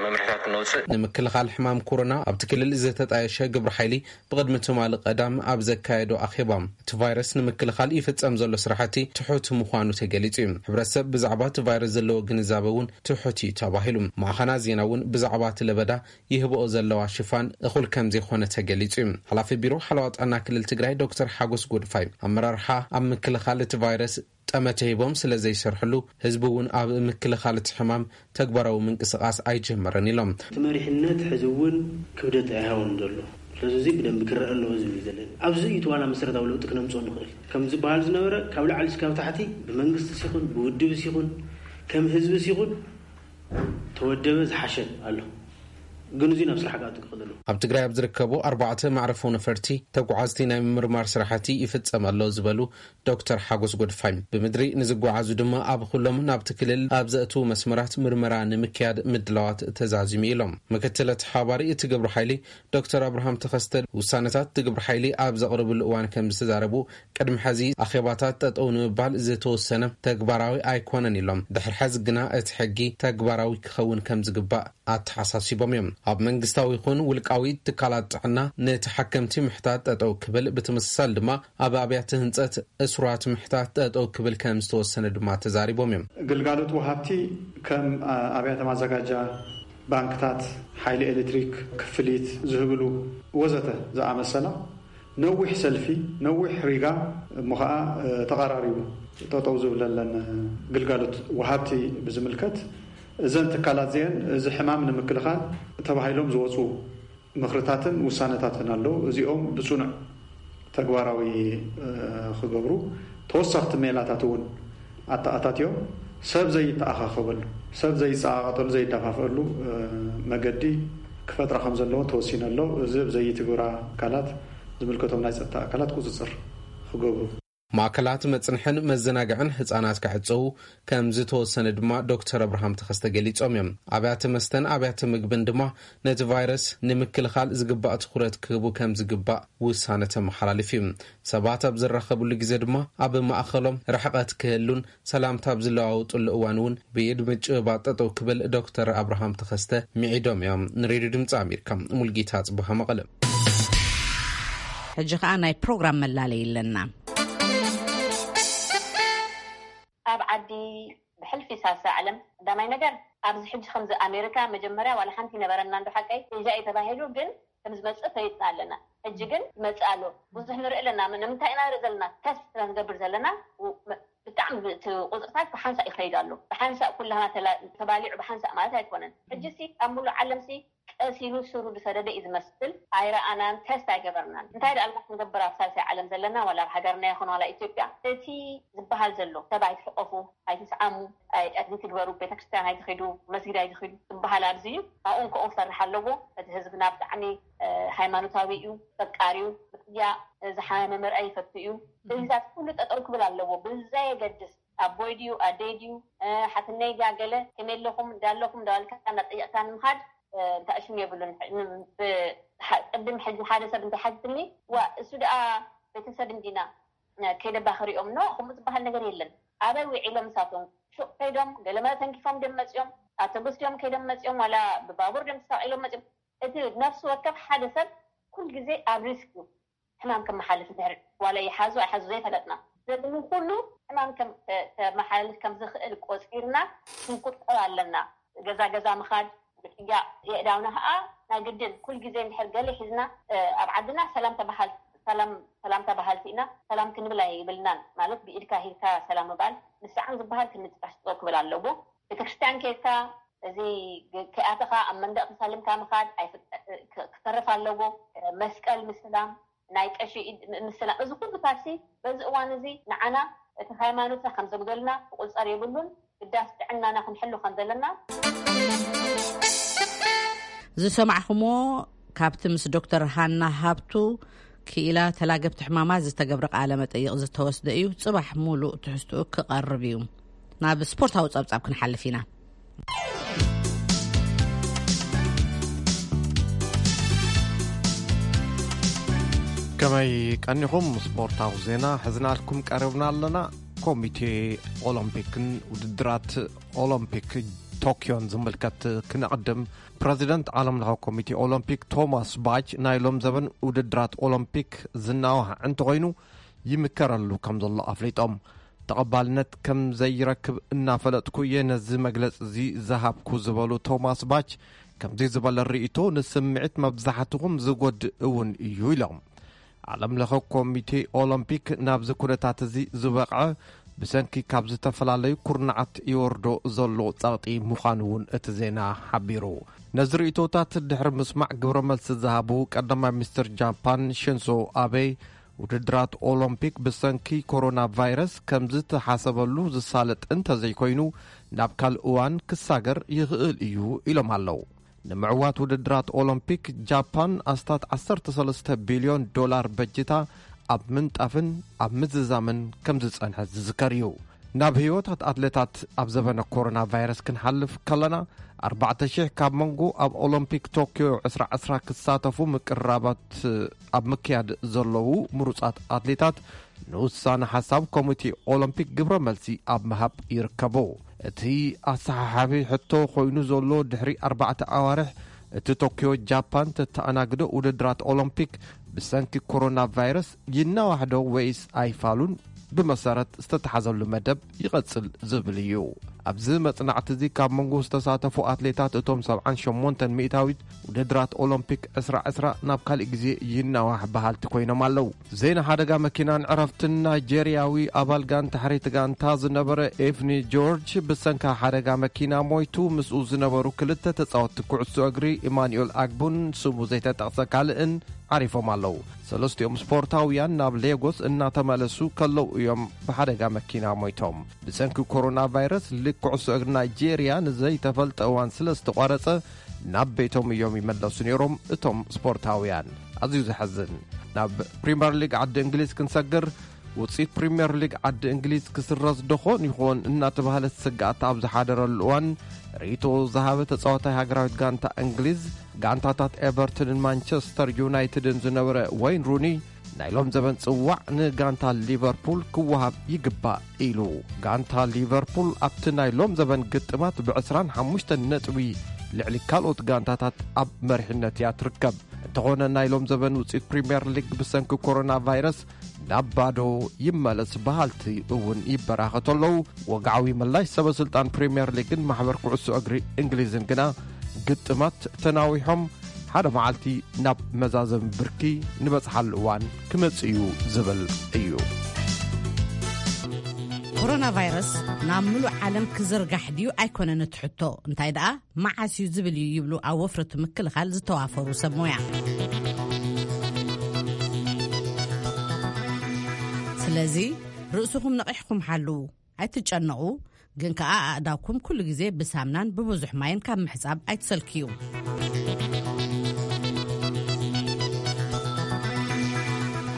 መምርሕታት ነውፅእ። ንምክልኻል ሕማም ኮሮና ኣብቲ ክልል ዝተጣየሸ ግብረ ሓይሊ ብቕድሚ ትማሊ ቀዳም ኣብ ዘካየዶ ኣኼባ፣ እቲ ቫይረስ ንምክልኻል ይፍጸም ዘሎ ስራሕቲ ትሑት ምዃኑ ተገሊጹ እዩ። ሕብረተሰብ ብዛዕባ እቲ ቫይረስ ዘለዎ ግንዛበ እውን ትሑት እዩ ተባሂሉ። ማዕኸናት ዜና እውን ብዛዕባ እቲ ለበዳ ይህብኦ ዘለዋ ሽፋን እኹል ከም ዘይኮነ ተገሊጹ እዩ። ሓላፊ ቢሮ ሓለዋ ጥዕና ክልል ትግራይ ዶክተር ሓጎስ ጎድፋይ፣ ኣመራርሓ ኣብ ምክልኻል እቲ ቫይረስ ጠመተ ሂቦም ስለ ዘይሰርሕሉ፣ ህዝቢ እውን ኣብ ምክልኻል እቲ ሕማም ተግባራዊ ምንቅስቓስ ኣይጀመረን ኢሎም። እቲ መሪሕነት ሕዚ እውን ክብደት ኣይሃቦን ዘሎ። ስለዚ እዚ ብደንቢ ክረአ ኣለዎ ዝብል እዩ ዘለኒ። ኣብዚ እዩ እቲ ዋና መሰረታዊ ለውጢ ክነምፅኦ ንኽእል። ከም ዝበሃል ዝነበረ ካብ ላዕሊ እስካብ ታሕቲ ብመንግስቲ ሲኹን ብውድብ ሲኹን ከም ህዝቢ ሲኹን ተወደበ ዝሓሸ ኣሎ። ግን እዚ ናብ ስራሕ ክኣቱ ክኽእል ኣለዎ። ኣብ ትግራይ ኣብ ዝርከቡ ኣርባዕተ መዕረፎ ነፈርቲ ተጓዓዝቲ ናይ ምምርማር ስራሕቲ ይፍጸም ኣሎ ዝበሉ ዶክተር ሓጎስ ጎድፋይ፣ ብምድሪ ንዝጓዓዙ ድማ ኣብ ኩሎም ናብቲ ክልል ኣብ ዘእትዉ መስመራት ምርመራ ንምክያድ ምድላዋት ተዛዚሙ ኢሎም። ምክትል ተሓባሪ እቲ ግብረ ሓይሊ ዶክተር ኣብርሃም ተኸስተ፣ ውሳነታት እቲ ግብረ ሓይሊ ኣብ ዘቕርብሉ እዋን ከም ዝተዛረቡ፣ ቅድሚ ሕዚ ኣኼባታት ጠጠው ንምባል ዝተወሰነ ተግባራዊ ኣይኮነን ኢሎም። ድሕሪ ሕዚ ግና እቲ ሕጊ ተግባራዊ ክኸውን ከም ዝግባእ ኣተሓሳሲቦም እዮም። ኣብ መንግስታዊ ይኹን ውልቃዊ ትካላት ጥዕና ንተሓከምቲ ምሕታት ጠጠው ክብል፣ ብተመሳሳሊ ድማ ኣብ ኣብያተ ህንፀት እሱራት ምሕታት ጠጠው ክብል ከም ዝተወሰነ ድማ ተዛሪቦም እዮም። ግልጋሎት ወሃብቲ ከም ኣብያተ ማዘጋጃ፣ ባንክታት፣ ሓይሊ ኤሌክትሪክ፣ ክፍሊት ዝህብሉ ወዘተ ዝኣመሰላ ነዊሕ ሰልፊ፣ ነዊሕ ሪጋ እሞ ኸዓ ተቐራሪቡ ጠጠው ዝብለለን ግልጋሎት ወሃብቲ ብዝምልከት፣ እዘን ትካላት እዚአን እዚ ሕማም ንምክልኻል ተባሂሎም ዝወፁ ምኽርታትን ውሳነታትን ኣለዉ። እዚኦም ብፅኑዕ ተግባራዊ ክገብሩ፣ ተወሰኽቲ ሜላታት እውን ኣተኣታትዮም ሰብ ዘይተኣኻኸበሉ፣ ሰብ ዘይፀቓቐጠሉ፣ ዘይደፋፍአሉ መገዲ ክፈጥራ ከም ዘለዎ ተወሲኑ ኣሎ። እዚ ኣብ ዘይትግብራ ኣካላት ዝምልከቶም ናይ ፀጥታ ኣካላት ቁፅፅር ክገብሩ። ማእከላት መጽንሕን መዘናግዕን ህጻናት ክዕጸዉ ከም ዝተወሰነ ድማ ዶክተር ኣብርሃም ተኸስተ ገሊጾም እዮም። ኣብያተ መስተን ኣብያተ ምግብን ድማ ነቲ ቫይረስ ንምክልኻል ዝግባእ ትኹረት ክህቡ ከም ዝግባእ ውሳነ ተመሓላሊፉ እዩ። ሰባት ኣብ ዝራኸብሉ ግዜ ድማ ኣብ ማእኸሎም ርሕቐት ክህሉን ሰላምታ ኣብ ዝለዋወጥሉ እዋን እውን ብኢድ ምጭብባጥ ጠጠው ክብል ዶክተር ኣብርሃም ተኸስተ ምዒዶም እዮም። ንሬድዮ ድምፂ ኣሜሪካ ሙልጌታ ጽቡሃ መቐለ። ሕጂ ኸኣ ናይ ፕሮግራም መላለይ ኣለና። ኣብ ዓዲ ብሕልፊ ሳልሳይ ዓለም ቀዳማይ ነገር ኣብዚ ሕጂ ከምዚ ኣሜሪካ መጀመርያ ዋላ ሓንቲ ይነበረና እንዶ ሓቀይ ሒዛ እዩ ተባሂሉ ግን ከም ዝመጽእ ፈሊጥና ኣለና። ሕጂ ግን ይመጽእ ኣሎ። ብዙሕ ንርኢ ኣለና። ንምንታይ ኢና ንርኢ ዘለና? ተስፋ ንገብር ዘለና። ብጣዕሚ እቲ ቁፅርታት ብሓንሳእ ይኸይድ ኣሎ። ብሓንሳእ ኩላና ተላ- ተባሊዑ ብሓንሳእ ማለት ኣይኮነን። ሕጂ ሲ ኣብ ሙሉእ ዓለም ሲ ቀስ ኢሉ ስሩ ዝሰደደ እዩ ዝመስል። ኣይረኣናን፣ ተስት ኣይገበርናን። እንታይ ደኣ ኣልካ ክንገብር ኣብ ሳልሳይ ዓለም ዘለና ዋላ ኣብ ሃገርና ይኹን ዋላ ኢትዮጵያ እቲ ዝበሃል ዘሎ ሰብ ኣይትሕቆፉ፣ ኣይትስዓሙ፣ ኣይትግበሩ፣ ቤተክርስትያን ኣይትኺዱ፣ መስጊድ ኣይትኺዱ ዝበሃል ኣብዚ እዩ። ኣብኡ እንከኡ ክሰርሕ ኣለዎ። እቲ ህዝብና ብጣዕሚ ሃይማኖታዊ እዩ፣ ፈቃሪ እዩ፣ ብጥያ ዝሓመመ ምርኣይ ይፈቱ እዩ። እዚታት ኩሉ ጠጠው ክብል ኣለዎ ብዘየገድስ ኣቦይ ድዩ ኣደይ ድዩ ሓትነይ ድያ ገለ ከመይ ኣለኹም እንዳ ኣለኹም እንዳበልካ እንዳጠየቕካ ንምኻድ እንታይ ሽም የብሉን። ቅድም ሕጂ ሓደ ሰብ እንታይ ሓቲትኒ ዋ እሱ ደኣ ቤተሰብ እንዲና ከይደባኽር እዮም ኖ ከምኡ ዝበሃል ነገር የለን። ኣበይ ውዒሎም ንሳቶም ሹቕ ከይዶም ገለመለ ተንኪፎም ድዮም መፅኦም ኣውቶቡስ ድዮም ከይዶም መፅኦም ዋላ ብባቡር ድዮም ተሳቒሎም መፅኦም እቲ ነፍሲ ወከፍ ሓደ ሰብ ኩል ግዜ ኣብ ሪስክ እዩ ሕማም ከመሓልፍ ድሕሪ ዋላ ይሓዙ ኣይሓዙ ዘይፈለጥና ዘድሚ ኩሉ ሕማም ከመሓልፍ ከም ዝኽእል ቆፂርና ክንቁጠብ ኣለና። ገዛ ገዛ ምኻድ ምጥያቕ የእዳውና ከዓ ናይ ግድን ኩል ግዜ እንድሕር ገለ ሒዝና ኣብ ዓድና ሰላም ተባሃል ሰላም ሰላምታ በሃልቲ ኢና ሰላም ክንብል ኣይብልናን ማለት ብኢድካ ሂብካ ሰላም ምባል ንስዓም ዝበሃል ክንጥቃስ ክብል ኣለዎ። ቤተክርስትያን ከይድካ እዚ ከይኣተኻ ኣብ መንደቕ ተሳሊምካ ምኻድ ክተርፍ ኣለዎ። መስቀል ምስላም ናይ ቀሺ ኢድ ምስላም እዚ ኩሉ ፓርቲ በዚ እዋን እዚ ንዓና እቲ ሃይማኖትና ከም ዘጉደልና ክቁፀር የብሉን። ግዳስ ጥዕናና ክንሕሉ ከም ዘለና ዝሰማዕኹምዎ ካብቲ ምስ ዶክተር ሃና ሃብቱ ክኢላ ተላገብቲ ሕማማት ዝተገብረ ቃለ መጠይቕ ዝተወስደ እዩ። ጽባሕ ሙሉእ ትሕዝትኡ ክቐርብ እዩ። ናብ ስፖርታዊ ጸብጻብ ክንሓልፍ ኢና። ከመይ ቀኒኹም? ስፖርታዊ ዜና ሕዝናልኩም ቀርብና ኣለና። ኮሚቴ ኦሎምፒክን ውድድራት ኦሎምፒክ ቶክዮን ዝምልከት ክነቕድም። ፕረዚደንት ዓለም ለኸ ኮሚቴ ኦሎምፒክ ቶማስ ባች ናይ ሎም ዘበን ውድድራት ኦሎምፒክ ዝናዋሕ እንተኾይኑ ይምከረሉ ከም ዘሎ ኣፍሊጦም። ተቐባልነት ከም ዘይረክብ እናፈለጥኩ እየ ነዚ መግለጺ እዚ ዝሃብኩ ዝበሉ ቶማስ ባች፣ ከምዚ ዝበለ ርእይቶ ንስምዒት መብዛሕትኹም ዝጎድእ እውን እዩ ኢሎም። ዓለም ለኸ ኮሚቴ ኦሎምፒክ ናብዚ ኩነታት እዚ ዝበቕዐ ብሰንኪ ካብ ዝተፈላለዩ ኩርናዓት ይወርዶ ዘሎ ጸቕጢ ምዃኑ እውን እቲ ዜና ሓቢሩ። ነዚ ርእይቶታት ድሕሪ ምስማዕ ግብረ መልሲ ዝሃቡ ቀዳማይ ሚኒስትር ጃፓን ሽንዞ ኣቤ፣ ውድድራት ኦሎምፒክ ብሰንኪ ኮሮና ቫይረስ ከም ዝተሓሰበሉ ዝሳለጥ እንተዘይኮይኑ ናብ ካልእ እዋን ክሳገር ይኽእል እዩ ኢሎም ኣለዉ። ንምዕዋት ውድድራት ኦሎምፒክ ጃፓን ኣስታት ዓሰርተ ሰለስተ ቢልዮን ዶላር በጅታ ኣብ ምንጣፍን ኣብ ምዝዛምን ከም ዝጸንሐት ዝዝከር እዩ። ናብ ህይወታት ኣትሌታት ኣብ ዘበነ ኮሮና ቫይረስ ክንሓልፍ ከለና፣ ኣርባዕተ ሽሕ ካብ መንጎ ኣብ ኦሎምፒክ ቶክዮ ዕስራ ዕስራ ክሳተፉ ምቅርራባት ኣብ ምክያድ ዘለዉ ምሩጻት ኣትሌታት ንውሳነ ሓሳብ ኮሚቴ ኦሎምፒክ ግብረ መልሲ ኣብ ምሃብ ይርከቡ። እቲ ኣሰሓሓቢ ሕቶ ኮይኑ ዘሎ ድሕሪ ኣርባዕተ ኣዋርሕ እቲ ቶክዮ ጃፓን ተተኣናግዶ ውድድራት ኦሎምፒክ ብሰንኪ ኮሮና ቫይረስ ይናዋሕዶ ወይስ ኣይፋሉን ብመሰረት ዝተተሓዘሉ መደብ ይቐጽል ዝብል እዩ። ኣብዚ መጽናዕቲ እዚ ካብ መንጎ ዝተሳተፉ ኣትሌታት እቶም ሰብዓን ሸሞንተን ሚእታዊት ውድድራት ኦሎምፒክ ዕስራ ዕስራ ናብ ካልእ ግዜ ይናዋሕ በሃልቲ ኮይኖም ኣለዉ። ዜና ሓደጋ መኪናን ዕረፍትን። ናይጄርያዊ ኣባል ጋንታ ሕሪት ጋንታ ዝነበረ ኤፍኒ ጆርጅ ብሰንካ ሓደጋ መኪና ሞይቱ። ምስኡ ዝነበሩ ክልተ ተጻወትቲ ኩዕሶ እግሪ ኢማኑኤል ኣግቡን ስሙ ዘይተጠቕሰ ካልእን ዓሪፎም ኣለዉ። ሰለስቲኦም ስፖርታውያን ናብ ሌጎስ እናተመለሱ ከለዉ እዮም ብሓደጋ መኪና ሞይቶም። ብሰንኪ ኮሮና ቫይረስ ሊግ ኩዕሶ እግሪ ናይጄርያ ንዘይተፈልጠ እዋን ስለ ዝተቋረጸ ናብ ቤቶም እዮም ይመለሱ ነይሮም እቶም ስፖርታውያን። ኣዝዩ ዘሐዝን። ናብ ፕሪምየር ሊግ ዓዲ እንግሊዝ ክንሰግር። ውፅኢት ፕሪምየር ሊግ ዓዲ እንግሊዝ ክስረዝ ደኾን ይኾን እናተባህለ ስግኣት ኣብ ዝሓደረሉ እዋን፣ ርእይቶ ዝሃበ ተፃዋታይ ሃገራዊት ጋንታ እንግሊዝ፣ ጋንታታት ኤቨርተንን ማንቸስተር ዩናይትድን ዝነበረ ወይን ሩኒ፣ ናይ ሎም ዘበን ጽዋዕ ንጋንታ ሊቨርፑል ክወሃብ ይግባእ ኢሉ። ጋንታ ሊቨርፑል ኣብቲ ናይ ሎም ዘበን ግጥማት ብዕስራን ሓሙሽተን ነጥቢ ልዕሊ ካልኦት ጋንታታት ኣብ መሪሕነት እያ ትርከብ። እንተኾነ ናይ ሎም ዘበን ውጽኢት ፕሪምየር ሊግ ብሰንኪ ኮሮና ቫይረስ ናብ ባዶ ይመለስ በሃልቲ እውን ይበራኸቱ ኣለዉ። ወግዓዊ ምላሽ ሰበ ስልጣን ፕሪምየር ሊግን ማሕበር ኩዕሶ እግሪ እንግሊዝን ግና ግጥማት ተናዊሖም ሓደ መዓልቲ ናብ መዛዘሚ ብርኪ ንበጽሓሉ እዋን ክመጽእ እዩ ዝብል እዩ። ኮሮና ቫይረስ ናብ ምሉእ ዓለም ክዝርጋሕ ድዩ ኣይኮነን እቲ ሕቶ፣ እንታይ ደኣ መዓስ እዩ ዝብል እዩ ይብሉ ኣብ ወፍሪ እቲ ምክልኻል ዝተዋፈሩ ሰብ ሞያ። ስለዚ ርእስኹም ነቒሕኩም ሓልዉ፣ ኣይትጨነቑ፣ ግን ከኣ ኣእዳውኩም ኩሉ ግዜ ብሳምናን ብብዙሕ ማይን ካብ ምሕጻብ ኣይትሰልክዩ።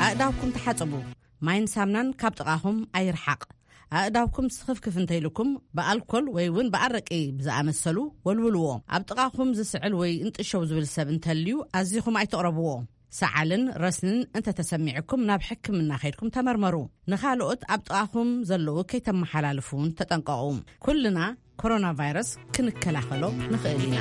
ኣእዳውኩም ተሓጸቡ፣ ማይን ሳምናን ካብ ጥቓኹም ኣይርሓቕ። ኣእዳውኩም ስኽፍክፍ እንተኢልኩም ብኣልኮል ወይ እውን ብኣረቂ ብዝኣመሰሉ ወልውልዎ። ኣብ ጥቓኹም ዝስዕል ወይ እንጥሸው ዝብል ሰብ እንተልዩ ኣዚኹም ኣይትቕረብዎ። ሰዓልን ረስንን እንተተሰሚዕኩም ናብ ሕክምና ከይድኩም ተመርመሩ። ንኻልኦት ኣብ ጥቓኹም ዘለዉ ከይተመሓላልፉ እውን ተጠንቀቑ። ኩልና ኮሮና ቫይረስ ክንከላኸሎ ንኽእል ኢና።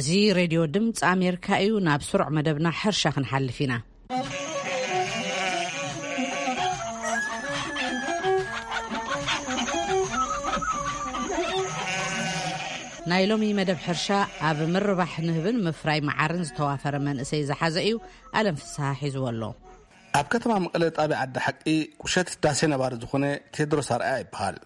እዚ ሬድዮ ድምፂ ኣሜሪካ እዩ። ናብ ስሩዕ መደብና ሕርሻ ክንሓልፍ ኢና። ናይ ሎሚ መደብ ሕርሻ ኣብ ምርባሕ ንህብን ምፍራይ መዓርን ዝተዋፈረ መንእሰይ ዝሓዘ እዩ። ኣለም ፍስሃ ሒዝዎ ኣሎ። ኣብ ከተማ መቐለ ጣብያ ዓዲ ሓቂ ቁሸት ዳሴ ነባሪ ዝኾነ ቴድሮስ ኣርኣያ ይበሃል።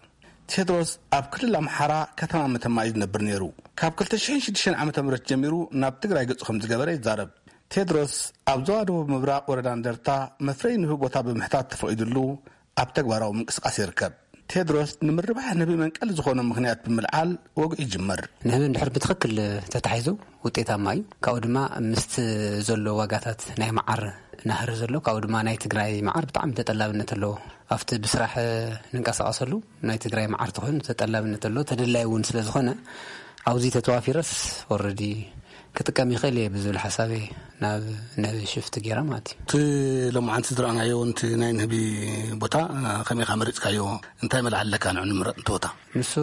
ቴድሮስ ኣብ ክልል ኣምሓራ ከተማ መተማ እዩ ዝነብር ነይሩ። ካብ ክልተ ሽሕን ሽዱሽተን ዓመተ ምህረት ጀሚሩ ናብ ትግራይ ገጹ ከም ዝገበረ ይዛረብ። ቴድሮስ ኣብ ዞባ ደቡብ ምብራቕ ወረዳ እንደርታ መፍረይ ንህቢ ቦታ ብምሕታት ተፈቒዱሉ ኣብ ተግባራዊ ምንቅስቓስ ይርከብ። ቴድሮስ ንምርባሕ ንህቢ መንቀሊ ዝኾኖ ምኽንያት ብምልዓል ወግዒ ይጅምር። ንህቢ እንድሕር ብትኽክል ተታሒዙ ውጤታማ እዩ። ካብኡ ድማ ምስቲ ዘሎ ዋጋታት ናይ መዓር ናህሪ ዘሎ፣ ካብኡ ድማ ናይ ትግራይ መዓር ብጣዕሚ ተጠላብነት ኣለዎ። ኣብቲ ብስራሕ ንንቀሳቐሰሉ ናይ ትግራይ መዓር ተኾይኑ ተጠላብነት ኣለዎ፣ ተደላይ እውን ስለ ዝኾነ ኣብዚ ተተዋፊረስ ኦረዲ ክጥቀም ይኽእል እየ ብዝብል ሓሳብ እየ ናብ ንህቢ ሽፍት ገይረ ማለት እዩ። እቲ ሎማዓንቲ ዝረኣናዮ፣ እቲ ናይ ንህቢ ቦታ ከመይ ኢኻ መሪፅካዮ? እንታይ መልዓ ኣለካ ንዑ ንምረጥ እቲ ቦታ? ንሱ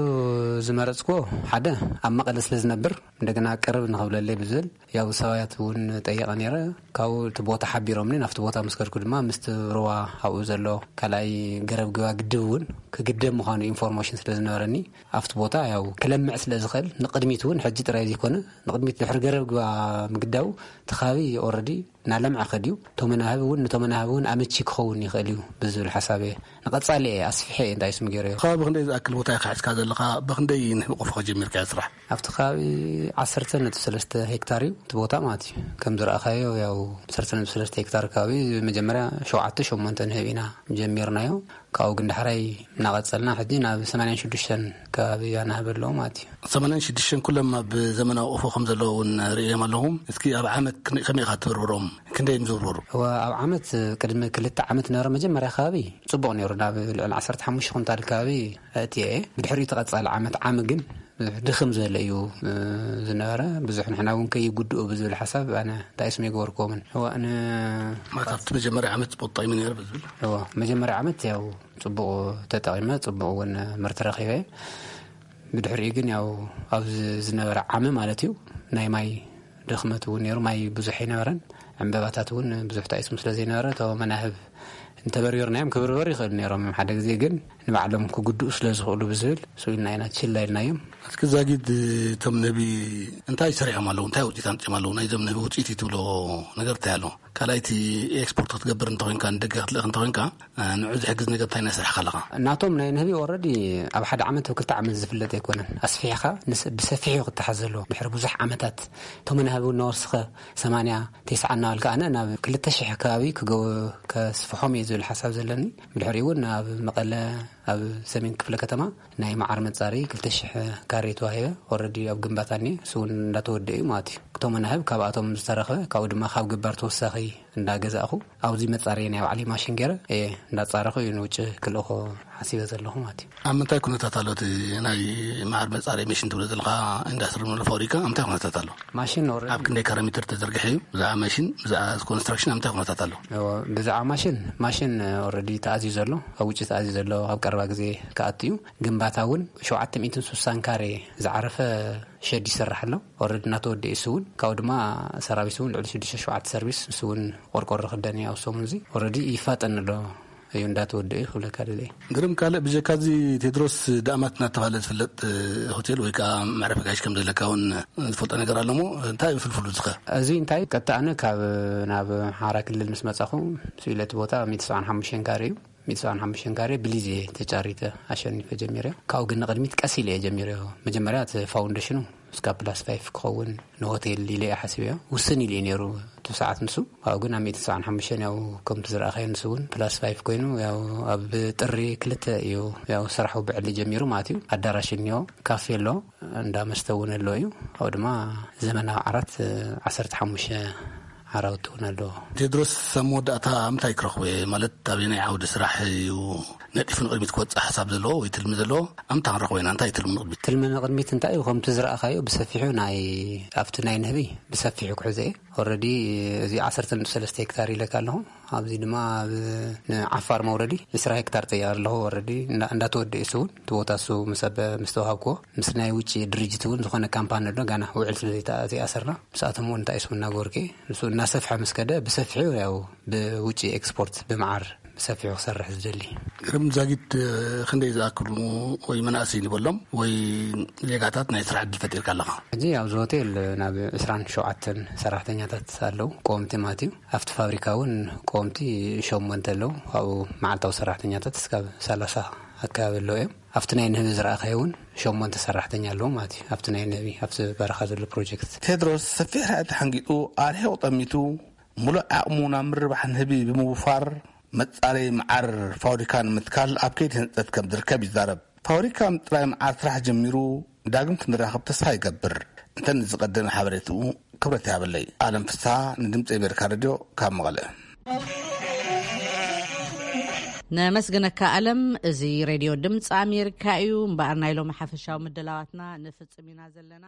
ዝመረፅኩዎ ሓደ ኣብ መቐለ ስለ ዝነብር እንደገና ቅርብ ንኽብለለይ ብዝብል ያው ሰባት እውን ጠይቐ ነይረ። ካብኡ እቲ ቦታ ሓቢሮምኒ። ናብቲ ቦታ ምስ ከድኩ ድማ ምስቲ ሩባ ኣብኡ ዘሎ ካልኣይ ገረብ ግባ ግድብ እውን ክግደብ ምዃኑ ኢንፎርሜሽን ስለ ዝነበረኒ ኣብቲ ቦታ ያው ክለምዕ ስለ ዝኽእል ንቕድሚት እውን ሕጂ ጥራይ ዘይኮነ ንቕድሚት ድሕሪ ገረብ ግባ ምግዳቡ እቲ ከባቢ ኦረዲ እናለምዐ ከድዩ። እቶም መናህብ እውን ነቶም መናህብ እውን ኣመቺ ክኸውን ይኽእል እዩ ብዝብል ሓሳብ እየ ንቐጻሊ እየ ኣስፊሐ እየ እንታይ ስም ገይረዮ። ከባቢ ክንደይ ዝኣክል ቦታ ኢኻ ሒዝካ ዘለኻ? ብኽንደይ ንህቢ ቆፎ ጀሚርካዮ ስራሕ? ኣብቲ ከባቢ ዓሰርተ ነጥቢ ሰለስተ ሄክታር እዩ እቲ ቦታ ማለት እዩ። ከም ዝረኣኻዮ ያው ዓሰርተ ነጥቢ ሰለስተ ሄክታር ከባቢ መጀመርያ ሸውዓተ ሸሞንተ ንህብ ኢና ጀሚርናዮ። ካብኡ ግን ዳሕራይ እናቐጸልና ሕጂ ናብ ሰማንያን ሽዱሽተን ከባቢ ኣናህብ ኣለዎ ማለት እዩ። ሰማንያን ሽዱሽተን ኩሎም ኣብ ዘመናዊ ቆፎ ከም ዘለዉ እውን ርእዮም ኣለኹ። እስኪ ኣብ ዓመት ክንደይ፣ ከመይ ኢኻ ትብርብሮም? ክንደይ እዮም ዝብርበሩ? እወ፣ ኣብ ዓመት ቅድሚ ክልተ ዓመት ነበረ መጀመርያ ከባቢ ጽቡቕ ነይሩ። ናብ ልዕሊ ዓሰርተ ሓሙሽተ ኩንታል ከባቢ ኣእትየ እየ። ብድሕሪኡ እቲ ቀጻሊ ዓመት ዓሚ ግን ብዙሕ ድኽም ዝበለ እዩ፣ እ፣ ዝነበረ። ብዙሕ ንሕና እውን ከይጉድኡ ብዝብል ሓሳብ ኣነ እንታይ ስም የገበርኩዎምን። እወ፣ ን- ማለት ኣብቲ መጀመርያ ዓመት ጽቡቕ ጠቒሙ ነይሩ ብዝብል? እወ፣ መጀመርያ ዓመት ያው ጽቡቕ ተጠቒመ፣ ጽቡቕ እውን ምህርቲ ረኺበ። ብድሕሪኡ ግን ያው ኣብዚ ዝነበረ ዓሚ ማለት እዩ ናይ ማይ ድኽመት እውን ነይሩ። ማይ ብዙሕ ኣይነበረን። ዕምበባታት እውን ብዙሕ ተኣይስም ስለ ዘይነበረ እቶ መናህብ እንተበርበርናዮም ክብርበሩ ይኽእሉ ነይሮም። ሓደ ግዜ ግን ንባዕሎም ክጉድኡ ስለ ዝኽእሉ ብዝብል ስኢልና ኢና፣ ችላ ኢልናዮም። እስኪ ዛጊድ እቶም ንህቢ እንታይ ሰሪሖም ኣለዉ? እንታይ ውፅኢት ኣምፂኦም ኣለዉ? ናይዞም ንህቢ ውፅኢት እዩ ትብሎ ነገር እንታይ ኣሎ? ካልኣይቲ ኤክስፖርት ክትገብር እንተኾይንካ፣ ንደገ ክትልእኽ እንተኾይንካ፣ ንዑ ዝሕግዝ ነገር እንታይ እናሰርሕካ ኣለኻ? ናቶም ናይ ንህቢ ኦረዲ ኣብ ሓደ ዓመት ኣብ ክልተ ዓመት ዝፍለጥ ኣይኮነን። ኣስፊሕኻ ንስ-፣ ብሰፊሑ ክተሓዝ ዘለዎ። ድሕሪ ብዙሕ ዓመታት እቶም መናህቢ እውን እናወስኸ ሰማንያ፣ ተስዓ እናበልካ ኣነ ናብ ክልተ ሽሕ ከባቢ ክገ-፣ ከስፍሖም እየ ዝብል ሓሳብ ዘለኒ። ብድሕሪኡ እውን ኣብ መቐለ፣ ኣብ ሰሜን ክፍለ ከተማ ናይ መዓር መጻሪ ክልተ ሽሕ ካሬ ተዋሂበ። ኦረዲ ኣብ ግንባታ እኒአ፣ እሱ እውን እንዳተወደአ እዩ ማለት እዩ። እቶም መናህብ ካብኣቶም ዝተረኽበ፣ ካብኡ ድማ ካብ ገባር ተወሳኺ እንዳገዛእኹ ኣብዚ መጻሪ ናይ ባዕለይ ማሽን ገይረ እየ እንዳጻረኹ እዩ ንውጭ ክልእኾ ሓሲበ ዘለኹ ማለት እዩ። ኣብ ምንታይ ኩነታት ኣሎ እቲ ናይ መዓር መጻሪ ማሽን ትብሎ ዘለኻ ኢንዳስትሪ ንብሎ ፋብሪካ ኣብ ምንታይ ኩነታት ኣሎ? ማሽን ኦረዲ ኣብ ክንደይ ካሬ ሜትር ተዘርግሐ እዩ? ብዛዕባ ማሽን፣ ብዛዕባ ኮንስትራክሽን ኣብ ምንታይ ኩነታት ኣሎ? እዎ፣ ብዛዕባ ማሽን፣ ማሽን ኦረዲ ተኣዝዩ ዘሎ፣ ኣብ ውጭ ተኣዝዩ ዘሎ፣ ኣብ ቀረባ ግዜ ክኣቱ እዩ። ግንባታ እውን ሸውዓተ ሚእትን ስሳን ካሬ ዝዓረፈ ሸድ ይስራሕ ኣሎ። ኦረዲ እናተወደአ እዩ። እሱ እውን ካብኡ ድማ ሰራቪስ እውን ልዕሊ ሽዱሽተ ሸውዓተ ሰርቪስ፣ እሱ እውን ቆርቆሮ ክደን እዩ ኣብ ሰሙን እዚ። ኦረዲ ይፋጠን ኣሎ እዩ፣ እንዳተወደአ እዩ ክብለካ ደልየ። ግርም፣ ካልእ ብጀካ እዚ ቴድሮስ ዳእማት እናተባህለ ዝፍለጥ ሆቴል ወይ ከዓ መዕረፊ ጋሽ ከም ዘለካ እውን ዝፈልጦ ነገር ኣሎ እሞ እንታይ እዩ ፍልፍሉ ዝኸ? እዚ እንታይ ቀጥታ ኣነ ካብ ናብ ሓራ ክልል ምስ መጻኹ ስኢለ እቲ ቦታ ሚእቲ ሰብዓን ሓሙሽተን ካሬ እዩ። ሚእቲ ሰብዓን ሓሙሽተን ካሬ ብሊዝ እየ ተጫሪተ ኣሸኒፈ ጀሚረ። ካብኡ ግን ንቕድሚት ቀስ ኢለ እየ ጀሚረ። መጀመርያ እቲ ፋውንዴሽኑ እስካብ ፕላስ ፋይፍ ክኸውን ንሆቴል ኢለ እየ ሓሲበዮ። ውስን ኢሉ እዩ ነይሩ እቲ ሰዓት ንሱ። ካብኡ ግን ኣብ ሚእቲ ሰብዓን ሓሙሽተን ያው ከምቲ ዝረኣኻዮ ንሱ እውን ፕላስ ፋይፍ ኮይኑ ያው ኣብ ጥሪ ክልተ እዩ ያው ስራሑ ብዕሊ ጀሚሩ ማለት እዩ። ኣዳራሽ እኒኦ፣ ካፌ ኣሎ፣ እንዳ መስተ እውን ኣሎ እዩ። ካብኡ ድማ ዘመናዊ ዓራት ዓሰርተ ሓሙሽተ ዓራውቲ እውን ኣለዎ። ቴድሮስ፣ ኣብ መወዳእታ ምንታይ ክረኽቦ እየ? ማለት ኣበየናይ ዓውዲ ስራሕ እዩ ነጢፉ ንቕድሚት ክወፅእ ሓሳብ ዘለዎ ወይ ትልሚ ዘለዎ? ኣብ ምንታይ ክንረኽቦ ኢና? እንታይ ትልሚ ንቕድሚት? ትልሚ ንቕድሚት እንታይ እዩ? ከምቲ ዝረኣኻዮ ብሰፊሑ ናይ፣ ኣብቲ ናይ ንህቢ ብሰፊሑ ክሕዞ እየ። ኦረዲ እዚ ዓሰርተ ነጥቢ ሰለስተ ሄክታር ኢለካ ኣለኹ። ኣብዚ ድማ ኣብ ንዓፋር መውረዲ ዕስራ ሄክታር ጥያ ኣለኹ። ኦረዲ እንዳ-፣ እንዳተወደአ እሱ እውን እቲ ቦታ እሱ ምስ ኣብ-፣ ምስ ተዋሃብክዎ ምስ ናይ ውጭ ድርጅት እውን ዝኾነ ካምፓኒ ኣሎ፣ ጋና ውዕል ስለ ዘይተኣ-፣ ዘይኣሰርና ምስኣቶም እውን እንታይ ስም እናገበርኩ እየ። ንሱ እናሰፍሐ ምስ ከደ ብሰፊሑ ያው ብውጭ ኤክስፖርት ብመዓር ብሰፊሑ ክሰርሕ ዝደሊ። ግርም ዛጊድ፣ ክንደይ ዝኣክሉ ወይ መናእሰይ ንበሎም ወይ ዜጋታት ናይ ስራሕ ዕድል ፈጢርካ ኣለኻ? ሕጂ ኣብዚ ሆቴል ናብ ዕስራን ሸውዓተን ሰራሕተኛታት ኣለዉ፣ ቀወምቲ ማለት እዩ። ኣብቲ ፋብሪካ እውን ቀወምቲ ሸሞንተ ኣለዉ። ካብኡ መዓልታዊ ሰራሕተኛታት እስካብ ሰላሳ ኣካባቢ ኣለዉ እዮም። ኣብቲ ናይ ንህቢ ዝረኣኻዮ እውን ሸሞንተ ሰራሕተኛ ኣለዉ ማለት እዩ። ኣብቲ ናይ ንህቢ፣ ኣብቲ በረኻ ዘሎ ፕሮጀክት። ቴድሮስ ሰፊሕ ራእይ ተሓንጊጡ፣ ኣርሒቑ ጠሚቱ፣ ሙሉእ ዓቕሙ ናብ ምርባሕ ንህቢ ብምውፋር፣ መጻረይ መዓር ፋብሪካ ንምትካል ኣብ ከይዲ ህንፀት ከም ዝርከብ ይዛረብ። ፋብሪካ ምጥራይ መዓር ስራሕ ጀሚሩ፣ ዳግም ክንራኸብ ተስፋ ይገብር። እንተ ንዝቐደመ ሓበሬትኡ ክብረት ይሃበለይ። ኣለም ፍስሓ፣ ንድምፂ ኣሜሪካ ሬድዮ ካብ መቐለ። ነመስግነካ ኣለም። እዚ ሬድዮ ድምፂ ኣሜሪካ እዩ። እምበኣር ናይ ሎሚ ሓፈሻዊ ምድላዋትና ንፍፅም ኢና ዘለና።